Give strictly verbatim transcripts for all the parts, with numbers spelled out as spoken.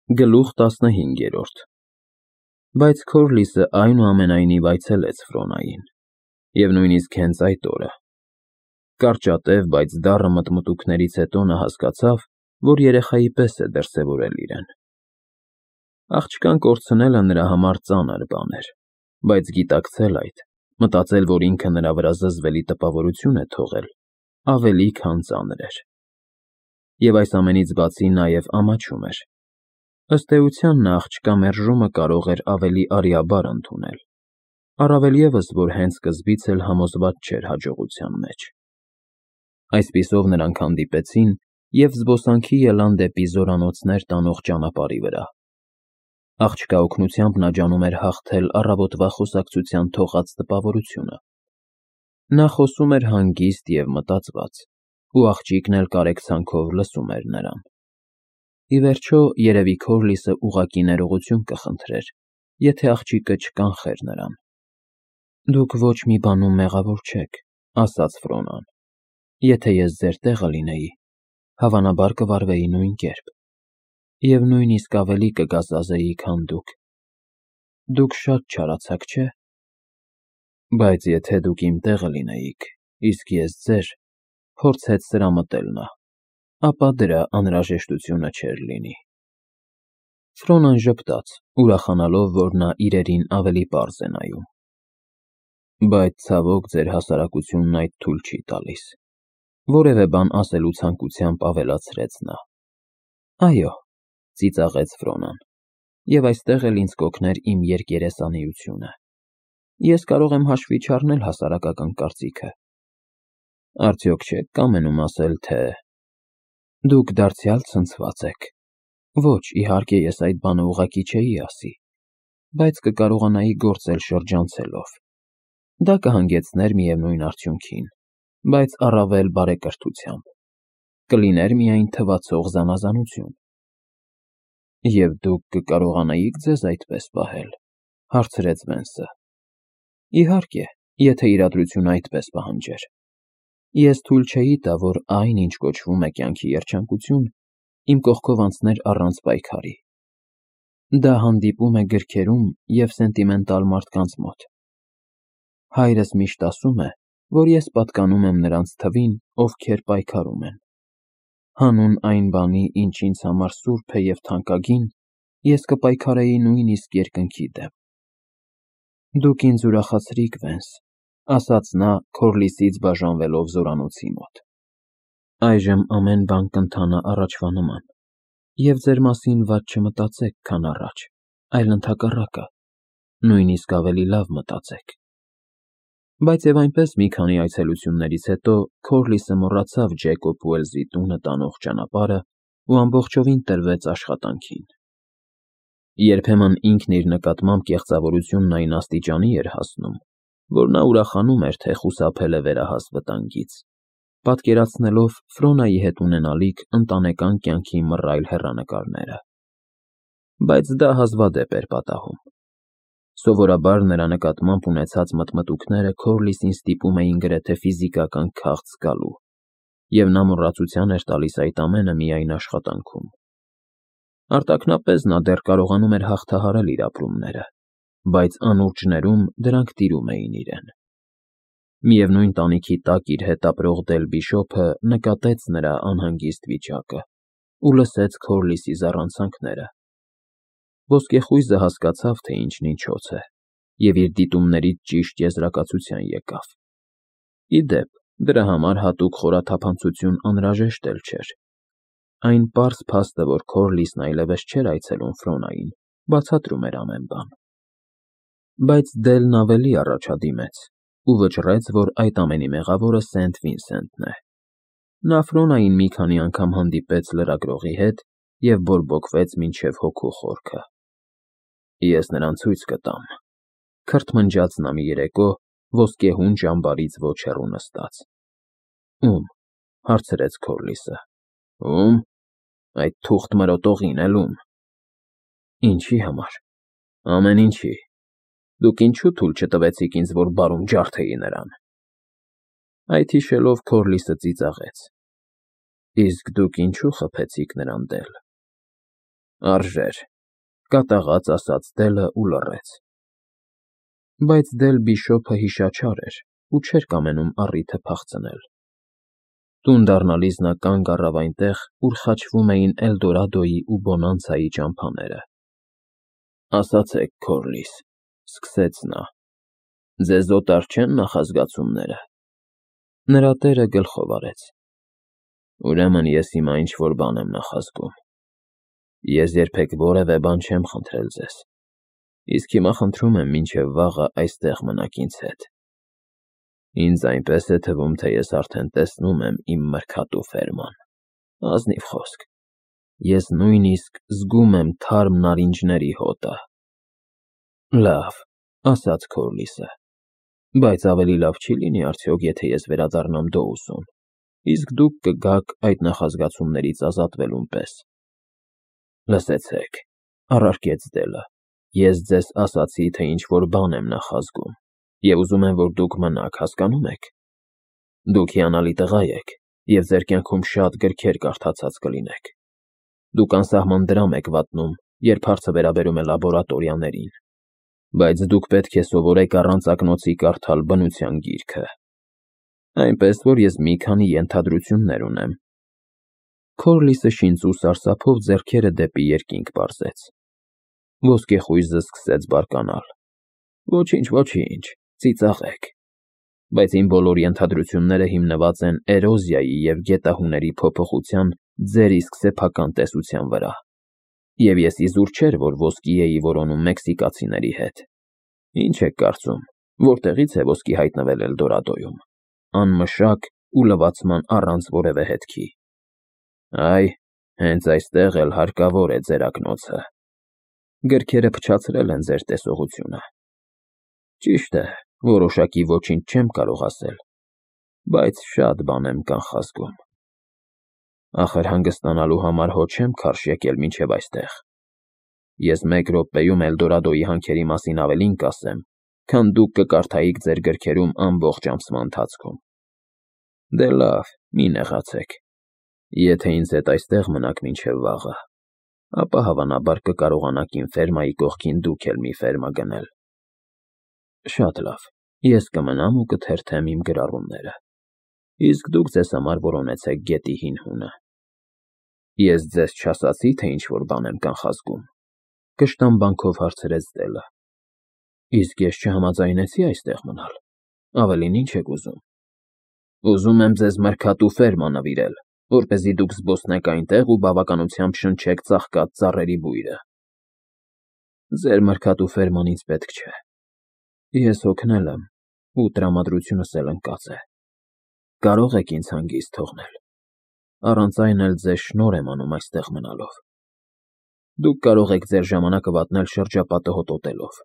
Գլուխ տասնհինգերորդ Բայց Քորլիսը այնուամենայնիվ այցելեց Ֆրոնային, և նույնիսկ հենց այդ օրը. կարճատև, բայց դառը մտմտույքներից հետո նա հասկացավ, որ երեխայի պես է դրսևորել իրեն։ Աղջկան կորցնելը նրա համար ծանր բան էր, բայց գիտակցել այդ, մտածել, որ ինքը նրա վրա զզվելի տպավորություն է թողել, ավելի քան ծանր էր։ Եվ այս ամենից բացի նաև ամաչում էր։ Ըստ էության նա աղջկա մերժումը կարող էր ավելի արիաբար ընդունել, առավել ևս, որ հենց սկզբից էլ համոզված չէր հաջողության մեջ։ Այսպիսով նրանք հանդիպեցին և զբոսանքի ելան դեպի զորանոցներ տանող ճանապարհի վրա։ Աղջկա օգնությամբ նա ջանում էր հաղթել առավոտվա խոսակցության թողած տպավորությունը։ Նա խոսում էր հանգիստ և մտածված, ու աղջիկն էլ կարեկցանքով լսում էր նրան։ Ի վերջո, երևի Քորլիսը ուղղակի ներողություն կխնդրեր, եթե աղջիկը չկանխեր նրան։ Դուք ոչ մի բանում մեղավոր չեք, ասաց Ֆրոնան։ Եթե ես ձեր տեղը լինեի, հավանաբար կվարվեի նույն կերպ, և նույնիսկ ավելի կգազազեի, քան դուք։ Դուք շատ չարացաք, չէ՞։ Բայց եթե դուք իմ տեղը լինեիք, իսկ ես ձեր, փորձեց սրամտել նա, ապա դրա անհրաժեշտությունը չէր լինի։ Ֆրոնան ժպտաց, ուրախանալով, որ նա իրերին ավելի պարզ է նայում։ Բայց ցավոք ձեր հասարակությունն այդ թույլ չի տալիս, որևէ բան ասելու ցանկությամբ ավելացրեց նա։ Այո, ծիծաղեց Ֆրոնան, և այստեղ էլ ինձ կօգներ իմ երկերեսանիությունը։ Ես կարող եմ հաշվի չառնել հասարակական կարծիքը։ Արդյոք չեք կամենում ասել, թե… Դուք դարձյալ ցնցված եք։ Ոչ, իհարկե, ես այդ բանը ուղղակի չէի ասի, բայց կկարողանայի գործել շրջանցելով։ Դա կհանգեցներ միևնույն արդյունքին, բայց առավել բարեկրթությամբ։ Կլիներ միայն թվացող զանազանություն։ Եվ դուք կկարողանայիք ձեզ այդպես պահել, հարցրեց Վենսը։ Իհարկե, եթե իրադրությունը այդպես պահանջեր։ Ես թույլ չէի տա, որ այն, ինչ կոչվում է կյանքի երջանկություն, իմ կողքով անցներ առանց պայքարի։ Դա հանդիպում է գրքերում և սենտիմենտալ մարդկանց մոտ։ Հայրս միշտ ասում է, որ ես պատկանում եմ նրանց թվին, ովքեր պայքարում են։ Հանուն այն բանի, ինչ ինձ համար սուրբ է և թանկագին, ես կպայքարեի նույնիսկ երկնքի դեմ։ Դուք ինձ ուրախացրիք, Վենս, ասաց նա, Քորլիսից բաժանվելով զորանոցի մոտ։ Այժմ ամեն բան կընթանա առաջվա նման, և ձեր մասին վատ չմտածեք, քան առաջ, այլ ընդհակառակը, նույնիսկ ավելի լավ մտածեք։ Բայց և այնպես մի քանի այցելություններից հետո Քորլիսը մոռացավ Ջեյկոբ Ուելսի տունը տանող ճանապարհն ու ամբողջովին տրվեց աշխատանքին։ Երբեմն ինքն իր նկատմամբ կեղծավորությունն այն աստիճանի էր հասնում, որ նա ուրախանում էր, թե խուսափել է վերահաս վտանգից, պատկերացնելով Ֆրոնայի հետ ունենալիք ընտանեկան կյանքի մռայլ հեռանկարները։ Բայց դա հազվադեպ էր պատահում։ Սովորաբար նրա նկատմամբ ունեցած մտմտույքները Քորլիսին ստիպում էին գրեթե ֆիզիկական քաղց զգալու, և նա մոռացության էր տալիս այդ ամենը միայն աշխատանքում։ Արտաքնապես նա դեռ կարողանում էր հաղթահարել իր ապրումները, բայց անուրջներում դրանք տիրում էին իրեն։ Միևնույն տանիքի տակ իր հետ ապրող Դել Բիշոփը նկատեց նրա անհանգիստ վիճակը ու լսեց Քորլիսի զառանցանքները։ Ոսկեխույզը հասկացավ, թե ինչն ինչոց է, և իր դիտումներից ճիշտ եզրակացության եկավ։ Ի դեպ, դրա համար հատուկ խորաթափանցություն անհրաժեշտ էլ չէր։ Այն պարզ փաստը, որ Քորլիսն այլևս չէր այցելում Ֆրոնային, բացատրում էր ամեն բան։ Բայց Դելն ավելի առաջադիմեց ու վճռեց, որ այդ ամենի մեղավորը Սենթ Վինսենտն է։ Նա Ֆրոնային մի քանի անգամ հանդիպեց լրագրողի հետ և բորբոքվեց մինչև հոգու խորքը։ Ես նրան ցույց կտամ, քրթմնջաց նա մի երեկո, ոսկեհուն ճամբարից ոչ հեռու նստած։ Ում, հարցրեց Քորլիսը։ Ում, այդ թուղթ մրոտողին էլ ում։ Ինչի համար։ Ամեն ինչի։ Դուք ինչու թույլ չտվեցիք ինձ, որ բարում ջարդեի նրան։ Այդ հիշելով Քորլիսը ծիծաղեց։ Իսկ դուք ինչու խփեցիք նրան, Դել։ Արժեր, կատաղած ասաց Դելը ու լռեց։ Բայց Դել Բիշոփը հիշաչար էր ու չէր կամենում առիթը փախցնել։ Տուն դառնալիս նա կանգ առավ այնտեղ, ուր խաչվում էին Էլդորադոյի ու Բոնանցայի ճամփաները։ Ասացեք, Քորլիս, սկսեց նա, ձեզ օտար չեն նախազգացումները։ Նրա տերը գլխով արեց։ Ուրեմն ես հիմա ինչ-որ բան եմ նախազգում։ Ես երբեք որևէ բան չեմ խնդրել ձեզ, իսկ հիմա խնդրում եմ մինչև վաղը այստեղ մնաք ինձ հետ։ Ինձ այնպես է թվում, թե ես արդեն տեսնում եմ իմ մրգատու ֆերման։ Ազնիվ խոսք, ես նույնիսկ զգում եմ թարմ նարինջների հոտը։ Լավ, ասաց Քորլիսը, բայց ավելի լավ չի լինի արդյոք, եթե ես վերադառնամ Դոուսոն, իսկ դուք կգաք այդ նախազգացումներից ազատվելուն պես։ Լսեցեք, առարկեց Դելը, ես ձեզ ասացի, թե ինչ-որ բան եմ նախազգում, և ուզում եմ, որ դուք մնաք, հասկանո՞ւմ եք։ Դուք հիանալի տղա եք, և ձեր կյանքում շատ գրքեր կարդացած կլինեք։ Դուք անսահման դրամ եք վատնում, երբ հարցը վերաբերում է լաբորատորիաներին, բայց դուք պետք է սովորեք առանց ակնոցի կարդալ բնության գիրքը։ Այնպես որ ես մի քանի ենթադրություններ ունեմ։ Քորլիսը շինծու սարսափով ձեռքերը դեպի երկինք պարզեց։ Ոսկեխույզը սկսեց բարկանալ։ Ոչինչ, ոչինչ, ծիծաղեք։ Բայց իմ բոլոր ենթադրությունները հիմնված են էրոզիայի և գետահուների փոփոխության ձեր իսկ սեփական տեսության վրա։ Եվ ես իզուր չէր, որ ոսկի էի որոնում մեքսիկացիների հետ։ Ինչ եք կարծում, որտեղից է ոսկի հայտնվել Էլդորադոյում, անմշակ ու լվացման առանց որևէ հետքի։ Այ, հենց այստեղ էլ հարկավոր է ձեր ակնոցը։ Գրքերը փչացրել են ձեր տեսողությունը։ Ճիշտ է, որոշակի ոչինչ չեմ կարող ասել, բայց շատ բան եմ կանխազգում։ Ախր հանգստանալու համար հո չեմ քարշ եկել մինչև այստեղ։ Ես մեկ րոպեում Էլդորադոյի հանքերի մասին ավելին կասեմ, քան դուք կկարդայիք ձեր գրքերում ամբողջ ամսվա ընթացքում։ Դե լավ, մի նեղացեք։ Եթե ինձ հետ այստեղ մնաք մինչև վաղը, ապա հավանաբար կկարողանաք իմ ֆերմայի կողքին դուք էլ մի ֆերմա գնել։ Շատ լավ, ես կմնամ ու կթերթեմ իմ գրառումները, իսկ դուք ձեզ համար որոնեցեք գետի հին հունը։ Ես ձեզ չասացի, թե ինչ-որ բան եմ կանխազգում, կշտամբանքով հարցրեց Դելը։ Իսկ ես չհամաձայնեցի այստեղ մնալ, ավելին ինչ եք ուզում։ Ուզում եմ ձեզ մրգատու ֆերմա նվիրել, որպեսզի դուք զբոսնեք այնտեղ ու բավականությամբ շնչեք ծաղկած ծառերի բույրը։ Ձեր մրգատու ֆերման ինձ պետք չէ։ Ես հոգնել եմ ու տրամադրությունս էլ ընկած է։ Կարող եք ինձ հանգիստ թողնել, առանց այն էլ ձեզ շնորհ եմ անում այստեղ մնալով։ Դուք կարող եք ձեր ժամանակը վատնել շրջապատը հոտոտելով,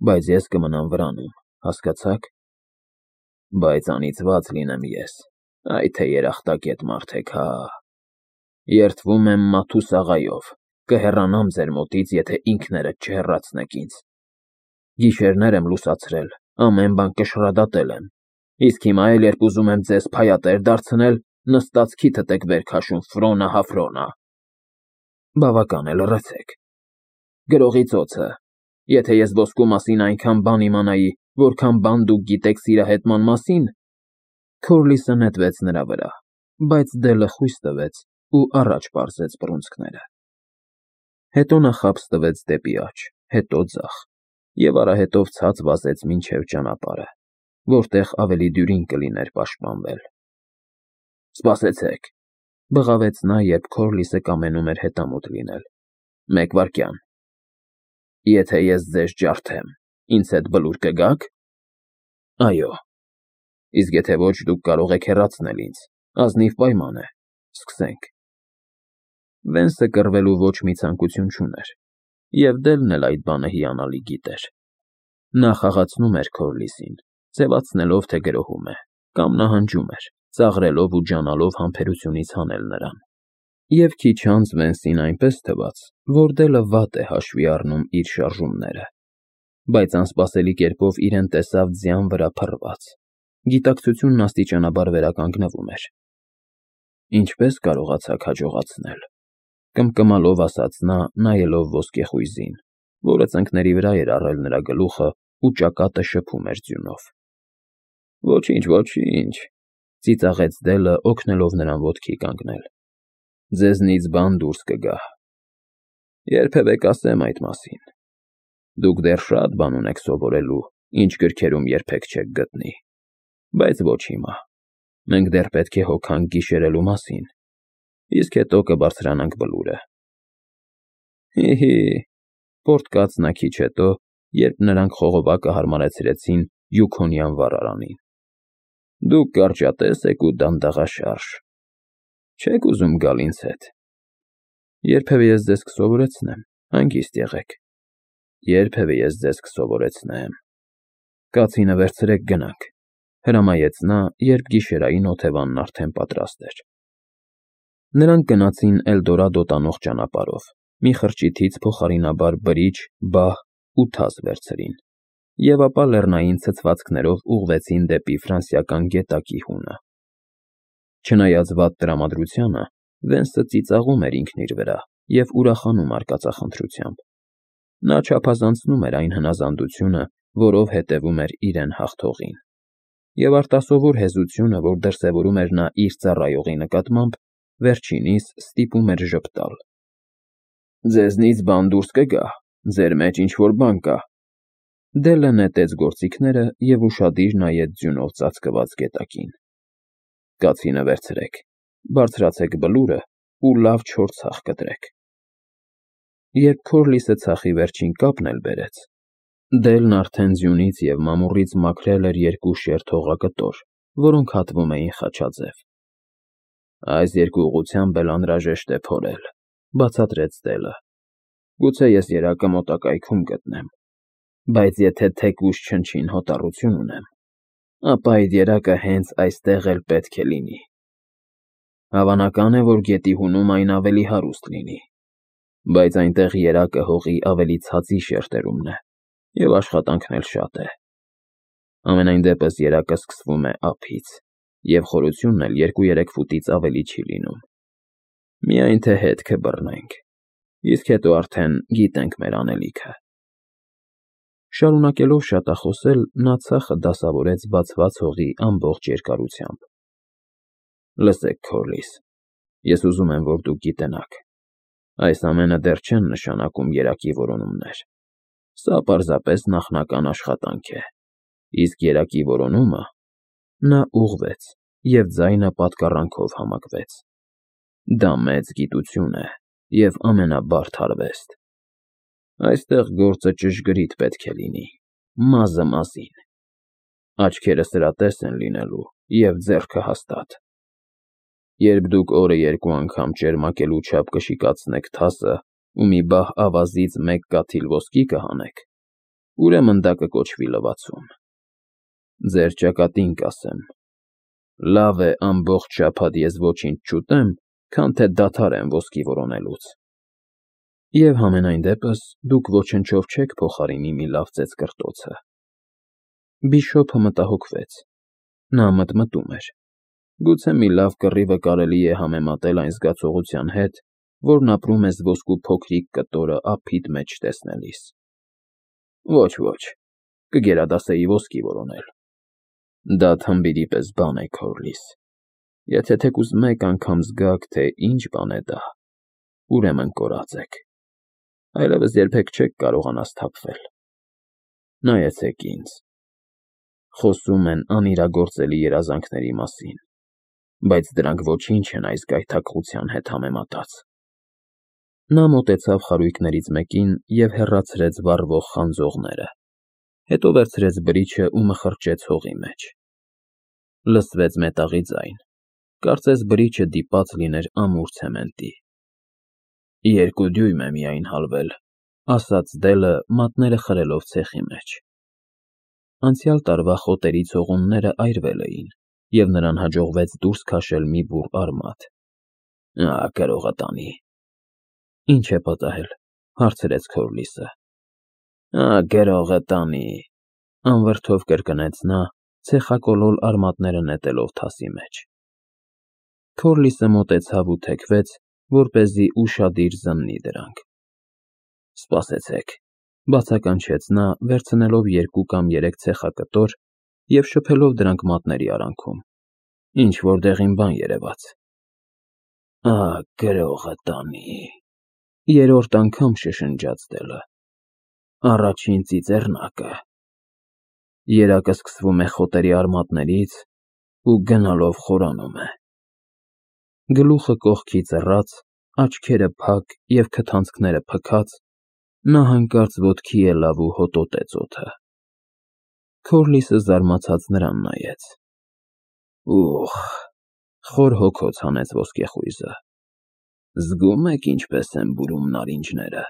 բայց ես կմնամ վրանում, հասկացա՞ք։ Բայց անիծված լինեմ ես, այ թե երախտագետ մարդ եք, հա։ Երդվում եմ Մաթուս աղայով, կհեռանամ ձեր մոտից, եթե ինքներդ չհեռացնեք ինձ։ Գիշերներ եմ լուսացրել, ամեն բան կշռադատել եմ, իսկ հիմա էլ երբ ուզում եմ ձեզ փայատեր դարձնել, նստած քիթդ եք վեր քաշում Ֆրոնա հա Ֆրոնա։ Բավական է, լռեցեք։ Գրողի ծոցը, եթե ես ոսկու մասին այնքան բան իմանայի, որքան բան դուք գիտեք սիրահետման մասին։ Քորլիսը նետվեց նրա վրա, բայց Դելը խույս տվեց ու առաջ պարզեց բռունցքները։ Հետո նա խաբս տվեց դեպի աջ, հետո ձախ, և արահետով ցած վազեց մինչև ճանապարհը, որտեղ ավելի դյուրին կլիներ պաշտպանվել։ Սպասեցեք, բղավեց նա, երբ Քորլիսը կամենում էր հետամուտ լինել։ Մեկ վայրկյան։ Եթե ես ձեզ ջարդեմ, ինձ հետ բլուր կգաք։ Այո։ Իսկ եթե ոչ, դուք կարող եք հեռացնել ինձ, ազնիվ պայման է, սկսենք։ Վենսը կռվելու ոչ մի ցանկություն չուներ, և Դելն էլ այդ բանը հիանալի գիտեր։ Նա խաղացնում էր Քորլիսին, ձևացնելով, թե գրոհում է, կամ նահանջում էր, ծաղրելով ու ջանալով համբերությունից հանել նրան։ Եվ քիչ անց Վենսին այնպես թվաց, որ Դելը վատ է հաշվի առնում իր շարժումները, բայց անսպասելի կերպով իրեն տեսավ ձյան վրա փռված։ Գիտակցությունն աստիճանաբար վերականգնվում էր։ Ինչպե՞ս կարողացաք հաջողացնել։ կմկմալով ասաց նա, նայելով ոսկեխույզին, որը ծնկների վրա էր առել նրա գլուխը ու ճակատը շփում էր ձյունով։ Ոչինչ, ոչինչ, ծիծաղեց Դելը, օգնելով նրան ոտքի կանգնել։ Ձեզնից բան դուրս կգա։ Երբևէ կասեմ այդ մասին։ Դուք դեռ շատ բան ունեք սովորելու, ինչ գրքերում երբեք չեք գտնի, բայց ոչ հիմա։ Մենք դեռ պետք է հոգանք գիշերելու մասին, իսկ հետո կբարձրանանք բլուրը։ Հի՛֊հի՛, պոռթկաց նա քիչ հետո, երբ նրանք խողովակը հարմարեցրեցին Յուքոնյան վառարանին։ Դուք կարճատես եք ու դանդաղաշարժ։ Չեք ուզում գալ ինձ հետ։ Երբևէ ես ձեզ կսովորեցնեմ, հանգիստ եղեք։ Երբևէ ես ձեզ կսովորեցնեմ։ Կացինը վերցրեք, գնանք, հրամայեց նա, երբ գիշերային օթևանն արդեն պատրաստ էր։ Նրանք գնացին Էլդորադո տանող ճանապարհով, մի խրճիթից փոխարինաբար բրիջ, բահ ու թաս վերցրին, և ապա լեռնային ցցվածքներով ուղղվեցին դեպի ֆրանսիական գետակի հունը։ Չնայած վատ տրամադրությանը, Վենսը ծիծաղում էր ինքն իր վրա և ուրախանում արկածախնդրությամբ։ Նա չափազանցնում էր այն հնազանդությունը, որով հետևում էր իրեն հաղթողին, և արտասովոր հեզությունը, որ դրսևորում էր նա իր ծառայողի նկատմամբ, վերջինիս ստիպում էր ժպտալ։ Ձեզնից բան դուրս կգա, ձեր մեջ ինչ-որ բան կա։ Դելը նետեց գործիքները և ուշադիր նայեց ձյունով ծածկված գետակին։ Կացինը վերցրեք, բարձրացեք բլուրը ու լավ չոր ցախ կտրեք։ Երբ Քորլիսը ցախի վերջին կապն էլ բերեց, Դելն արդեն ձյունից և մամուռից մաքրել էր երկու շերտ հողակտոր, որոնք հատվում էին խաչաձև։ Այս երկու ուղղությամբ էլ անհրաժեշտ է փորել, բացատրեց Դելը։ Գուցե ես երակը մոտակայքում գտնեմ, բայց եթե թեկուզ չնչին հոտառություն ունեմ, ապա այդ երակը հենց այստեղ էլ պետք է լինի։ Հավանական է, որ գետի հունում այն ավելի հարուստ լինի, բայց այնտեղ երակը հողի ավելի ցածի շերտերումն է, և աշխատանքն էլ շատ է։ Համենայն դեպս երակը սկսվում է ափից, և խորությունն էլ երկու֊երեք ֆուտից ավելի չի լինում։ Միայն թե հետքը բռնենք, իսկ հետո արդեն գիտենք մեր անելիքը։ Շարունակելով շատախոսել, նա ցախը դասավորեց բացված հողի ամբողջ երկարությամբ։ Լսեք, Քորլիս, ես ուզում եմ, որ դուք գիտենաք, այս ամենը դեռ չեն նշանակում երակի որոնումներ։ Սա պարզապես նախնական աշխատանք է, իսկ երակի որոնումը… Նա ուղղվեց, և ձայնը պատկառանքով համակվեց։ Դա մեծ գիտություն է և ամենաբարդ արվեստ։ Այստեղ գործը ճշգրիտ պետք է լինի, մազը մազին։ Աչքերը սրատես են լինելու և ձեռքը հաստատ։ Երբ դուք օրը երկու անգամ ճերմակելու չափ կշիկացնեք թասը ու մի բահ ավազից մեկ կաթիլ ոսկի կհանեք, ուրեմն դա կկոչվի լվացում։ Ձեր ճակատին կասեմ. լավ է ամբողջ շաբաթ ես ոչինչ չուտեմ, քան թե դադարեմ ոսկի որոնելուց։ Եվ համենայն դեպս դուք ոչնչով չեք փոխարինի մի լավ ծեծկռտոցը։ Բիշոպը մտահոգվեց։ Նա մտմտում էր. գուցե մի լավ կռիվը կարելի է համեմատել այն զգացողության հետ, որն ապրում ես ոսկու փոքրիկ կտորը ափիդ մեջ տեսնելիս։ Ոչ, ոչ, կգերադասեի ոսկի որոնել։ Դա թմբիրի պես բան է, Քորլիս։ Եթե թեկուզ մեկ անգամ զգաք, թե ինչ բան է դա, ուրեմն կորած եք։ Այլևս երբեք չեք կարողանա սթափվել։ Նայեցեք ինձ։ Խոսում են անիրագործելի երազանքների մասին, բայց դրանք ոչինչ են այս գայթակղության հետ համեմատած։ Նա մոտեցավ խարույկներից մեկին և հեռացրեց վառվող խանձողները, հետո վերցրեց բրիչը ու մխրճեց հողի մեջ։ Լսվեց մետաղի ձայն, կարծես բրիչը դիպած լիներ ամուր ցեմենտի։ Երկու դյույմ է միայն հալվել, ասաց Դելը, մատները խրելով ցեխի մեջ։ Անցյալ տարվա խոտերի ցողունները այրվել էին, և նրան հաջողվեց դուրս քաշել մի բուռ արմատ։ Ահ, գրողը տանի։ Ինչ է պատահել, հարցրեց Քորլիսը։ Ահ, գրողը տանի, անվրդով կրկնեց նա, ցեխակոլոր արմատները նետելով թասի մեջ։ Քորլիսը մոտեցավ ու թեքվեց, որպեսզի ուշադիր զննի դրանք։ Սպասեցեք, բացականչեց նա, վերցնելով երկու կամ երեք ցեխակտոր և շփելով դրանք մատների արանքում, ինչ-որ դեղին բան երևաց։ Ա, գրողը տանի, երրորդ անգամ շշնջաց դելը, առաջին ծիծեռնակը, երակը սկսվում է խոտերի արմատներից ու գնալով խորանում է։ Գլուխը կողքի ծռած, աչքերը փակ և քթանցքները փքած, նա հանկարծ ոտքի ելավ ու հոտոտեց օդը։ Քորլիսը զարմացած նրան նայեց։ Ուխ, խոր հոգոց հանեց ոսկեխույզը, զգո՞ւմ եք ինչպես են բուրում նարինջները։